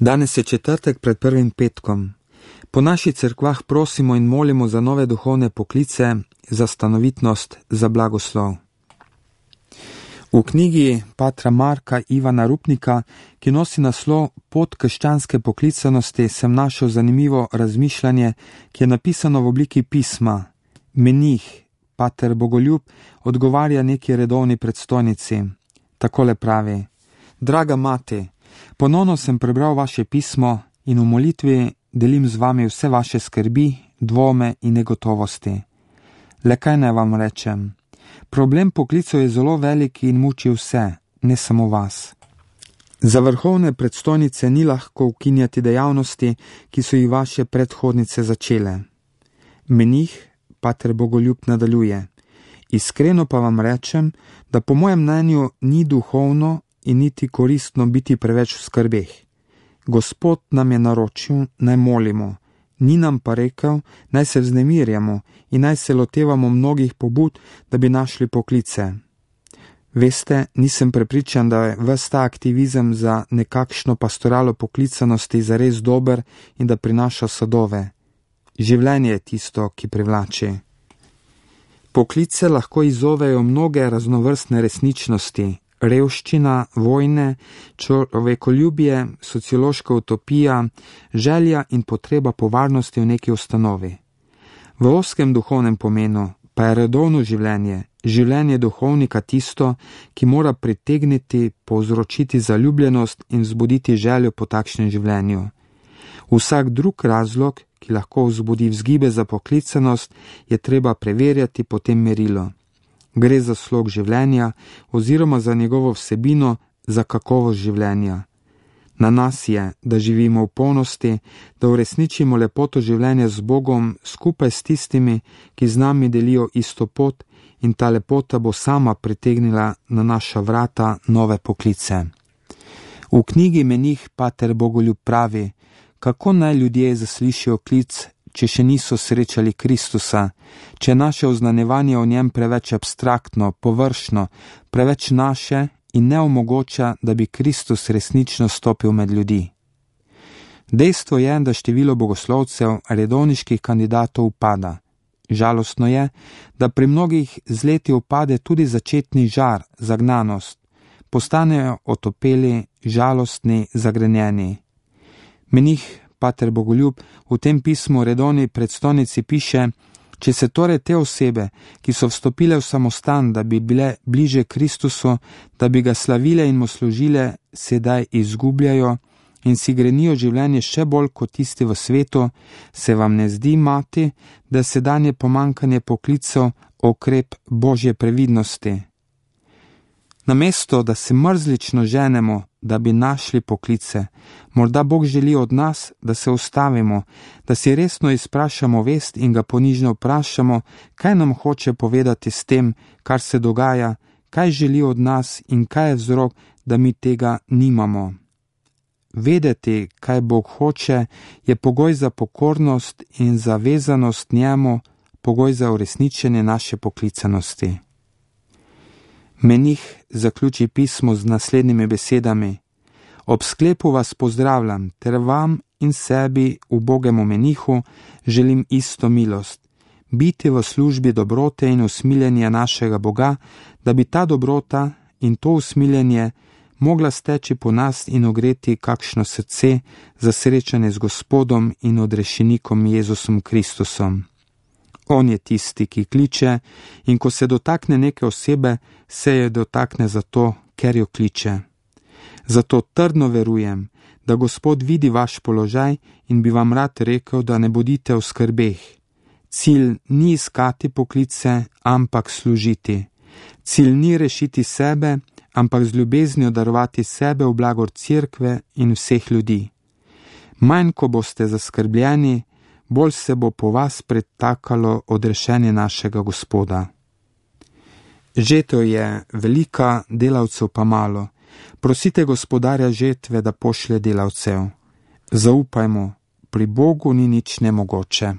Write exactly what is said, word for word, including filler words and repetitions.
Danes je četrtek pred prvim petkom. Po naših cerkvah prosimo in molimo za nove duhovne poklice, za stanovitnost, za blagoslov. V knjigi patra Marka Ivana Rupnika, ki nosi naslov Pot krščanske poklicanosti, sem našel zanimivo razmišljanje, ki je napisano v obliki pisma. Menih, pater Bogoljub, odgovarja neki redovni predstojnici. Takole pravi: Draga mati, ponovno sem prebral vaše pismo in v molitvi delim z vami vse vaše skrbi, dvome in negotovosti. Le kaj naj vam rečem? Problem poklicov je zelo velik in muči vse, ne samo vas. Za vrhovne predstojnice ni lahko ukinjati dejavnosti, ki so jih vaše predhodnice začele. Menih, pater Bogoljub, nadaljuje: Iskreno pa vam rečem, da po mojem mnenju ni duhovno in niti koristno biti preveč v skrbeh. Gospod nam je naročil, naj molimo, ni nam pa rekel, naj se vznemirjamo in naj se lotevamo mnogih pobud, da bi našli poklice. Veste, nisem prepričan, da je ves ta aktivizem za nekakšno pastoralo poklicanosti zares dober in da prinaša sadove. Življenje je tisto, ki privlači. Poklice lahko izzovejo mnoge raznovrstne resničnosti, revščina, vojne, človekoljubje, sociološka utopija, želja in potreba po varnosti v neki ustanovi. V ozkem duhovnem pomenu pa je redovno življenje, življenje duhovnika tisto, ki mora pritegniti, povzročiti zaljubljenost in vzbuditi željo po takšnem življenju. Vsak drug razlog, ki lahko vzbudi vzgibe za poklicanost, je treba preverjati po tem merilu. Gre za slog življenja oziroma za njegovo vsebino, za kakovost življenja. Na nas je, da živimo v polnosti, da uresničimo lepoto življenja z Bogom skupaj s tistimi, ki z nami delijo isto pot, in ta lepota bo sama pritegnila na naša vrata nove poklice. V knjigi Menih pater Bogoljub pravi, kako naj ljudje zaslišijo klic, če še niso srečali Kristusa, če je naše oznanjevanje o njem preveč abstraktno, površno, preveč naše in ne omogoča, da bi Kristus resnično stopil med ljudi. Dejstvo je, da število bogoslovcev, redovniških kandidatov upada. Žalostno je, da pri mnogih z leti upade tudi začetni žar, zagnanost. Postanejo otopeli, žalostni, zagrenjeni. Menih pater Bogoljub v tem pismu redovni predstojnici piše: Če se torej te osebe, ki so vstopile v samostan, da bi bile bliže Kristusu, da bi ga slavile in mu služile, sedaj izgubljajo in si grenijo življenje še bolj kot tisti v svetu, se vam ne zdi, mati, da sedanje pomankanje poklicev okrep Božje previdnosti? Namesto, da se mrzlično ženemo, da bi našli poklice, morda Bog želi od nas, da se ustavimo, da si resno izprašamo vest in ga ponižno vprašamo, kaj nam hoče povedati s tem, kar se dogaja, kaj želi od nas in kaj je vzrok, da mi tega nimamo. Vedeti, kaj Bog hoče, je pogoj za pokornost in za vezanost njemu, pogoj za uresničenje naše poklicanosti. Menih zaključi pismo z naslednjimi besedami: Ob sklepu vas pozdravljam, ter vam in sebi, ubogemu menihu, želim isto milost, biti v službi dobrote in usmiljenja našega Boga, da bi ta dobrota in to usmiljenje mogla steči po nas in ogreti kakšno srce za srečanje z Gospodom in odrešenikom Jezusom Kristusom. On je tisti, ki kliče, in ko se dotakne neke osebe, se je dotakne zato, ker jo kliče. Zato trdno verujem, da Gospod vidi vaš položaj in bi vam rad rekel, da ne bodite v skrbeh. Cilj ni iskati poklice, ampak služiti. Cilj ni rešiti sebe, ampak z ljubeznijo darovati sebe v blagor cerkve in vseh ljudi. Manj, ko boste zaskrbljeni, bolj se bo po vas pretakalo odrešenje našega Gospoda. Žetev je velika, delavcev pa malo. Prosite Gospodarja žetve, da pošlje delavcev. Zaupajmo, pri Bogu ni nič nemogoče.